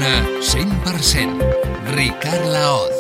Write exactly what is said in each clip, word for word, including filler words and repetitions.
Tarragona cent per cent. Ricard Laoz.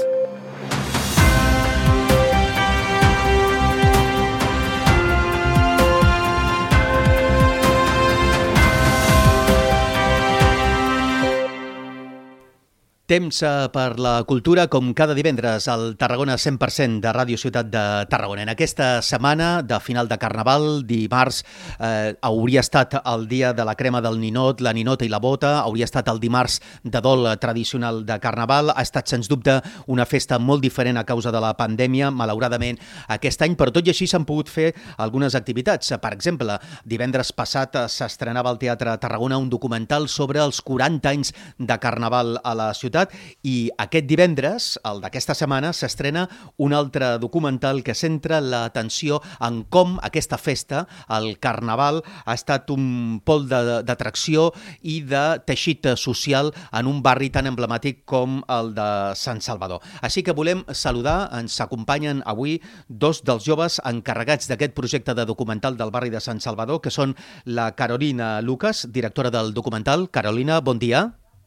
Temps per la cultura, com cada divendres, al Tarragona cent per cent de Ràdio Ciutat de Tarragona. En aquesta setmana de final de Carnaval, dimarts, eh, hauria estat el dia de la crema del ninot, la ninota i la bota, hauria estat el dimarts de dol tradicional de Carnaval. Ha estat, sens dubte, una festa molt diferent a causa de la pandèmia, malauradament, aquest any, però tot i així s'han pogut fer algunes activitats. Per exemple, divendres passat s'estrenava al Teatre Tarragona un documental sobre els quaranta anys de Carnaval a la ciutat, i aquest divendres, el d'aquesta setmana, s'estrena un altre documental que centra l'atenció en com aquesta festa, el Carnaval, ha estat un pol d'atracció i de teixit social en un barri tan emblemàtic com el de Sant Salvador. Així que volem saludar, ens acompanyen avui dos dels joves encarregats d'aquest projecte de documental del barri de Sant Salvador, que són la Carolina Lucas, directora del documental. Carolina, bon dia.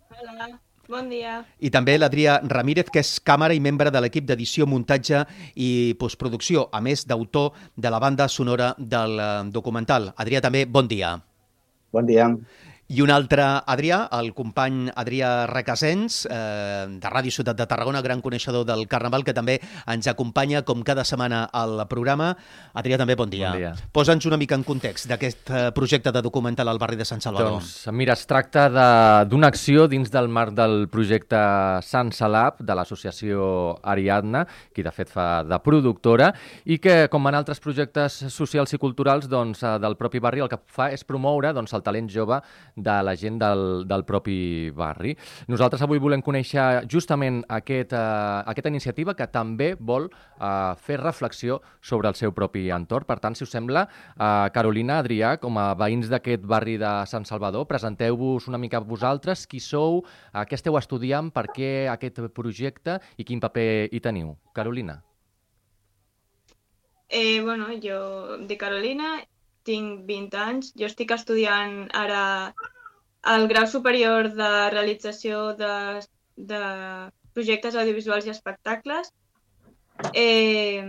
Hola. Bon dia. I també l'Adrià Ramírez, que és càmera i membre de l'equip d'edició, muntatge i postproducció, a més d'autor de la banda sonora del documental. Adrià, també, bon dia. Bon dia. I un altre Adrià, el company Adrià Recasens, eh, de Ràdio Ciutat de Tarragona, gran coneixedor del Carnaval, que també ens acompanya com cada setmana al programa. Adrià, també bon dia. Bon dia. Posa'ns una mica en context d'aquest projecte de documental al barri de Sant Salvador. Doncs, mira, es tracta d'una acció dins del marc del projecte Sant Salab de l'associació Ariadna, qui de fet fa de productora, i que, com en altres projectes socials i culturals, doncs, del propi barri, el que fa és promoure doncs, el talent jove de la gent del, del propi barri. Nosaltres avui volem conèixer justament aquest, uh, aquesta iniciativa que també vol uh, fer reflexió sobre el seu propi entorn. Per tant, si us sembla, uh, Carolina, Adrià, com a veïns d'aquest barri de Sant Salvador, presenteu-vos una mica vosaltres, qui sou, uh, què esteu estudiant, per què aquest projecte i quin paper hi teniu. Carolina. Eh, bueno, jo de Carolina, tinc vint anys, jo estic estudiant ara el grau superior de realització de, de projectes audiovisuals i espectacles. Eh,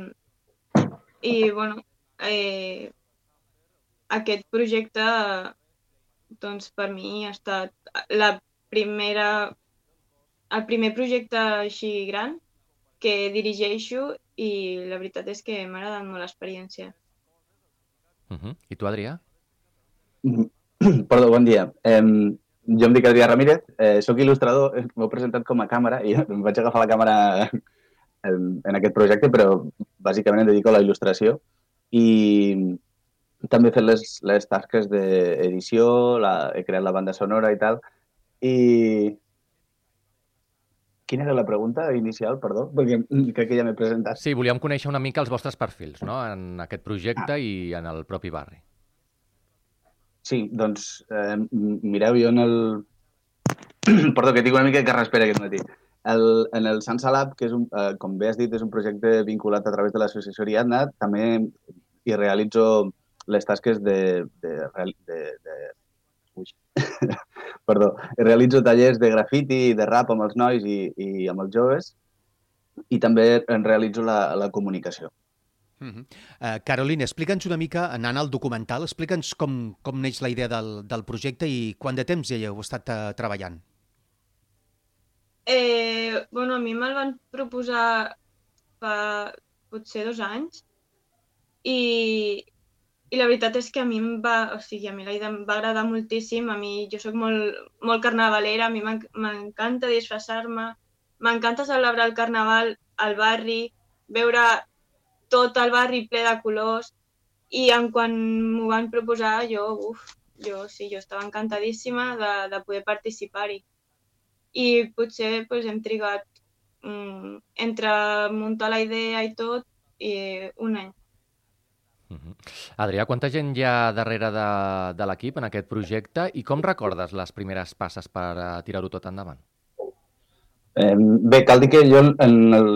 I, bueno, eh, aquest projecte, doncs, per mi ha estat la primera, el primer projecte així gran que dirigeixo i la veritat és que m'ha agradat molt l'experiència. Uh-huh. I tu, Adrià? Perdó, bon dia. Eh, jo em dic Adrià Ramírez, eh, soc il·lustrador, m'heu presentat com a càmera i em vaig agafar la càmera en, en aquest projecte, però bàsicament em dedico a la il·lustració i també he fet les, les tasques d'edició, he creat la banda sonora i tal. I quina era la pregunta inicial, perdó? Perquè crec que ja m'he presentat. Sí, volíem conèixer una mica els vostres perfils, no?, en aquest projecte ah. i en el propi barri. Sí, doncs, eh, mireu, jo en el... Perdó, que tinc una mica de carraspera aquest matí. El, en el Sant Salab, que és un, eh, com bé has dit, és un projecte vinculat a través de l'associació Ariadna, també hi realitzo les tasques de... de, de, de... Ui. Perdó, realitzo tallers de grafiti i de rap amb els nois i, i amb els joves i també en realitzo la, la comunicació. Uh-huh. uh, Carolina, explica'ns una mica, anant al documental, explica'ns com, com neix la idea del, del projecte i quant de temps ja heu estat uh, treballant. Eh, bueno, a mi me'l van proposar fa potser dos anys i, i la veritat és que a mi em va, o sigui, a mi la idea em va agradar moltíssim. A mi, jo soc molt, molt carnavalera, a mi m'encanta disfressar-me, m'encanta celebrar el carnaval al barri, veure tot el barri ple de colors i en quan m'ho van proposar jo, uf, jo sí, jo estava encantadíssima de, de poder participar-hi. I potser pues, hem trigat mm, entre muntar la idea i tot i un any. Uh-huh. Adrià, quanta gent hi ha darrere de, de l'equip en aquest projecte i com recordes les primeres passes per uh, tirar-ho tot endavant? Eh, bé, cal dir que jo en el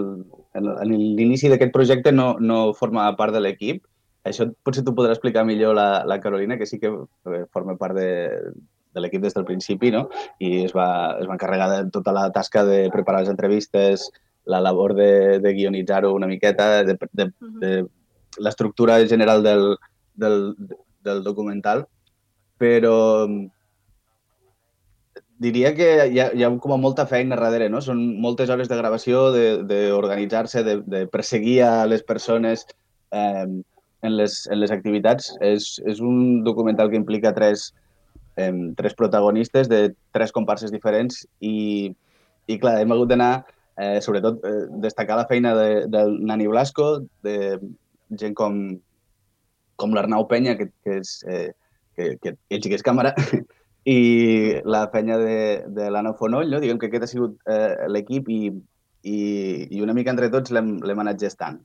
en l'inici d'aquest projecte no, no forma part de l'equip. Això potser t'ho podrà explicar millor la, la Carolina, que sí que forma part de, de l'equip des del principi, no? I es va, es va encarregar de tota la tasca de preparar les entrevistes, la labor de, de guionitzar-ho una miqueta, de, de, de l'estructura general del, del, del documental, però diria que hi ha, hi ha com a molta feina darrere, no? Són moltes hores de gravació, d'organitzar-se, de, de, de perseguir a les persones eh, en, les, en les activitats. És, és un documental que implica tres, eh, tres protagonistes de tres comparses diferents i, i clar, hem hagut d'anar, eh, sobretot, eh, destacar la feina de, del Nani Blasco, de gent com, com l'Arnau Penya, que, que és... Eh, que, que ell sí que és càmera, i la feina de, de l'Anna Fonoll, no? Diguem que aquest ha sigut eh, l'equip i, i, i una mica entre tots l'hem anat gestant.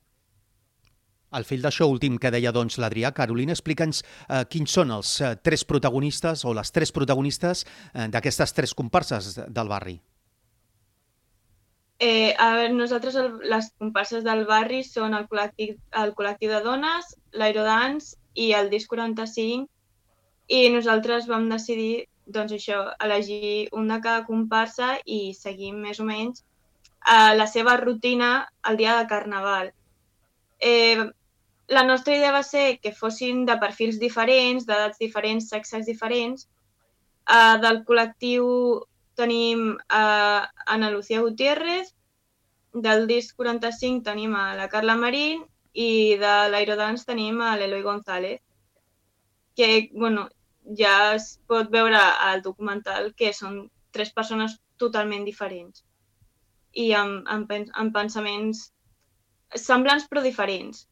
Al fil d'això últim que deia doncs, l'Adrià, Carolina, explica'ns eh, quins són els eh, tres protagonistes o les tres protagonistes eh, d'aquestes tres comparses del barri. Eh, a veure, nosaltres el, les comparses del barri són el col·lectiu, el col·lectiu de dones, l'Aerodance i el Disc quaranta-cinc, i nosaltres vam decidir doncs això, elegir un de cada comparsa i seguir més o menys eh, la seva rutina el dia de Carnaval. Eh, la nostra idea va ser que fossin de perfils diferents, d'edats diferents, sexes diferents. Eh, del col·lectiu tenim a Ana Lucía Gutiérrez, del Disc quaranta-cinc tenim a la Carla Marín i de l'Aerodance tenim a l'Eloi González, que bueno, ja es pot veure al documental que són tres persones totalment diferents i amb, amb, amb pensaments semblants però diferents.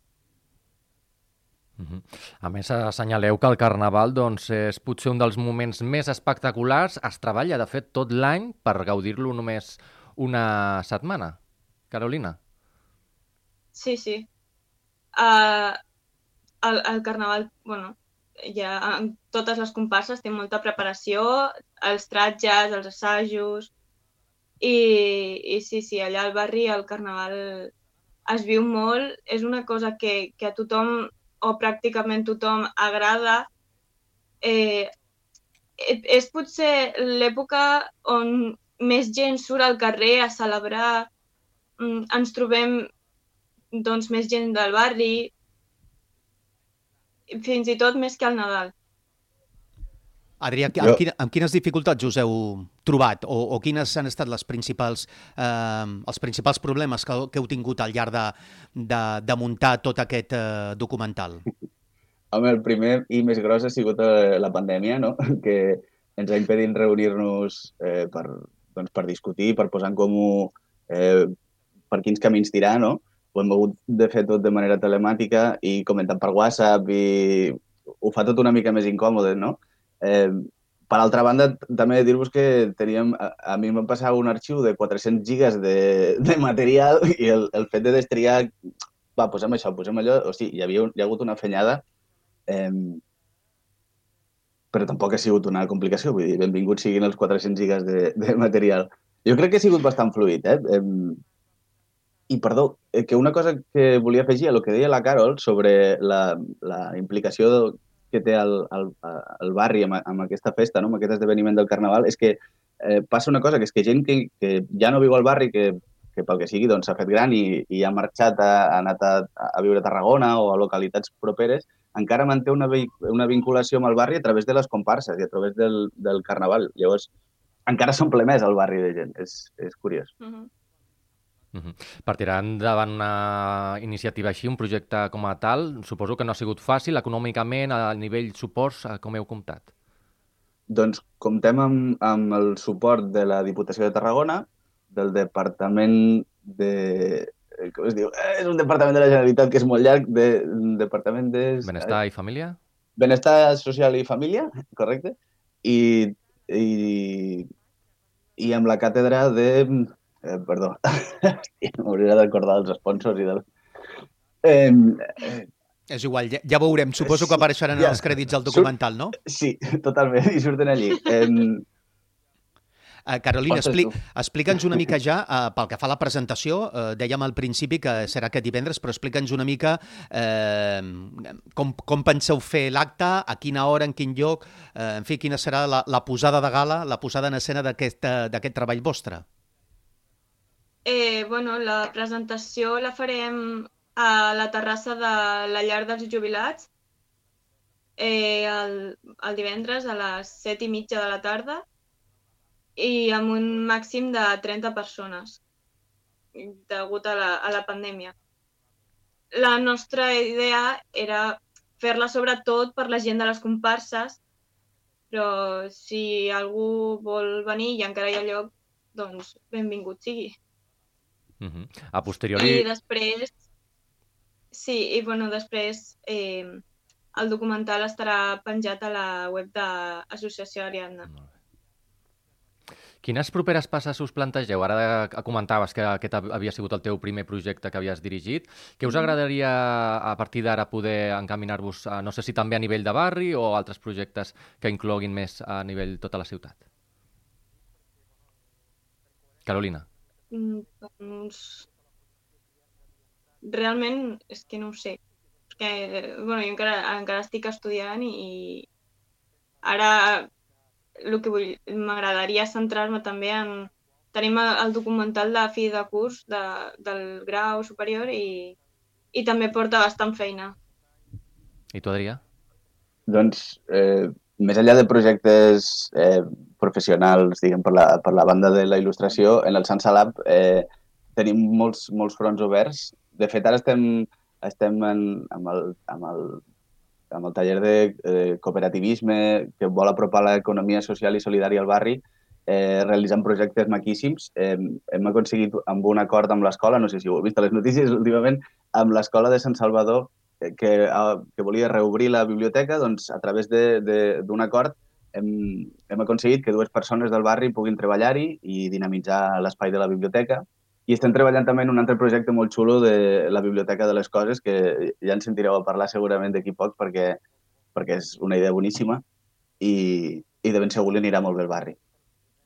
A més, assenyaleu que el Carnaval doncs, és potser un dels moments més espectaculars. Es treballa, de fet, tot l'any per gaudir-lo només una setmana. Carolina? Sí, sí. Uh, el, el Carnaval, bueno, ja en totes les comparses té molta preparació, els tratges, els assajos, i, i sí, sí, allà al barri el Carnaval es viu molt, és una cosa que, que a tothom, o pràcticament tothom, agrada. Eh, és potser l'època on més gent surt al carrer a celebrar, ens trobem doncs, més gent del barri, fins i tot més que al Nadal. Adrià, amb, quina, amb quines dificultats us heu trobat o, o quines han estat les principals, eh, els principals problemes que, que heu tingut al llarg de, de, de muntar tot aquest eh, documental? Home, el primer i més gros ha sigut eh, la pandèmia, no? Que ens ha impedit reunir-nos eh, per, doncs, per discutir, per posar en comú eh, per quins camins tirar, no? Ho hem hagut de fer tot de manera telemàtica i comentant per WhatsApp i ho fa tot una mica més incòmode, no? Eh, per altra banda, també dir-vos que teníem, a, a mi em van passar un arxiu de quatre-cents gigas de, de material i el, el fet de destriar, va, posem això, posem allò, o sigui, hi havia hi ha hagut una fenyada, eh, però tampoc ha sigut una complicació, vull dir, benvinguts siguin els quatre-cents gigas de, de material. Jo crec que ha sigut bastant fluid, eh? eh I, perdó, que una cosa que volia afegir a el que deia la Carol sobre la, la implicació que té el, el, el barri amb, amb aquesta festa, no? Amb aquest esdeveniment del Carnaval, és que eh, passa una cosa, que és que gent que, que ja no viu al barri, que, que pel que sigui doncs, s'ha fet gran i, i ha marxat, ha, ha anat a, a viure a Tarragona o a localitats properes, encara manté una, una vinculació amb el barri a través de les comparses i a través del, del Carnaval. Llavors, encara s'omple més el barri de gent. És, és curiós. Uh-huh. Uh-huh. Per tirar endavant una iniciativa així, un projecte com a tal, suposo que no ha sigut fàcil, econòmicament, a nivell suports, com heu comptat? Doncs comptem amb, amb el suport de la Diputació de Tarragona, del Departament de... Com es diu? És un departament de la Generalitat que és molt llarg, de, Departament de... Benestar i Família? Benestar Social i Família, correcte. I, i, i amb la càtedra de... Eh, perdó, m'hauria d'acordar dels sponsors i del... Eh, eh, És igual, ja, ja veurem. Suposo que apareixeran ja, els crèdits del documental, no? Sí, totalment, i surten allí. Eh, Uh, Carolina, Ostres, expli tu. explica'ns una mica ja, uh, pel que fa a la presentació, uh, dèiem al principi que serà aquest divendres, però explica'ns una mica uh, com, com penseu fer l'acte, a quina hora, en quin lloc, uh, en fi, quina serà la, la posada de gala, la posada en escena d'aquest uh, treball vostre. Eh, bueno, la presentació la farem a la terrassa de la Llar dels Jubilats eh, el, el divendres a les set i mitja de la tarda i amb un màxim de trenta persones degut a la, a la pandèmia. La nostra idea era fer-la sobretot per la gent de les comparses, però si algú vol venir i encara hi ha lloc, doncs benvingut sigui. Uh-huh. A posteriori... I després, sí, i bueno, després eh, el documental estarà penjat a la web de l'Associació Ariadna. Quines properes passes us plantegeu? Ara comentaves que aquest havia sigut el teu primer projecte que havies dirigit. Què us agradaria a partir d'ara poder encaminar-vos, a, no sé si també a nivell de barri o altres projectes que incloguin més a nivell tota la ciutat? Carolina. Doncs realment és que no ho sé, perquè bueno, jo encara, encara estic estudiant i ara el que vull, m'agradaria centrar-me també en... Tenim el documental de fi de curs de, del grau superior i, i també porta bastant feina. I tu, Adrià? Doncs, eh, més enllà de projectes eh, professionals, diguem, per la, per la banda de la il·lustració, en el Sansa Lab eh, tenim molts, molts fronts oberts. De fet, ara estem, estem en, amb, el, amb, el, amb el taller de eh, cooperativisme que vol apropar l'economia social i solidària al barri, eh, realitzant projectes maquíssims. Eh, hem aconseguit, amb un acord amb l'escola, no sé si ho heu vist a les notícies últimament, amb l'escola de Sant Salvador, que, que volia reobrir la biblioteca, doncs a través d'un acord hem, hem aconseguit que dues persones del barri puguin treballar-hi i dinamitzar l'espai de la biblioteca. I estem treballant també en un altre projecte molt xulo de la Biblioteca de les Coses, que ja en sentireu a parlar segurament d'aquí poc, perquè, perquè és una idea boníssima i, i de ben segur li anirà molt bé al barri.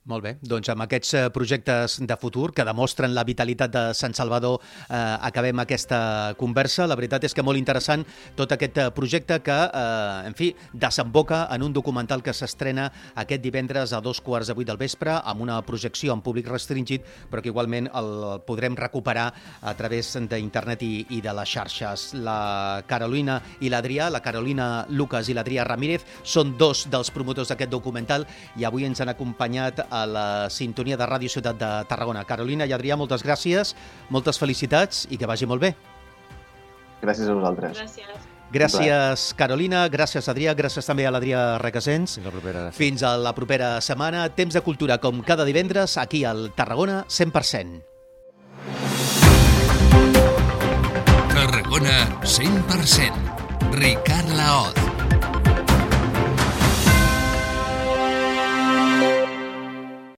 Molt bé, doncs amb aquests projectes de futur que demostren la vitalitat de Sant Salvador eh, acabem aquesta conversa. La veritat és que molt interessant tot aquest projecte que, eh, en fi, desemboca en un documental que s'estrena aquest divendres a dos quarts de vuit del vespre amb una projecció en públic restringit, però que igualment el podrem recuperar a través d'internet i, i de les xarxes. La Carolina i l'Adrià, la Carolina Lucas i l'Adrià Ramírez, són dos dels promotors d'aquest documental i avui ens han acompanyat a la sintonia de Ràdio Ciutat de Tarragona. Carolina i Adrià, moltes gràcies, moltes felicitats i que vagi molt bé. Gràcies a vosaltres. Gràcies. Gràcies, Carolina, gràcies, Adrià, gràcies també a l'Adrià Requesens. Fins la propera. Fins a la propera setmana. Temps de cultura, com cada divendres, aquí al Tarragona cent per cent. Tarragona cent per cent. Ricard Laoz.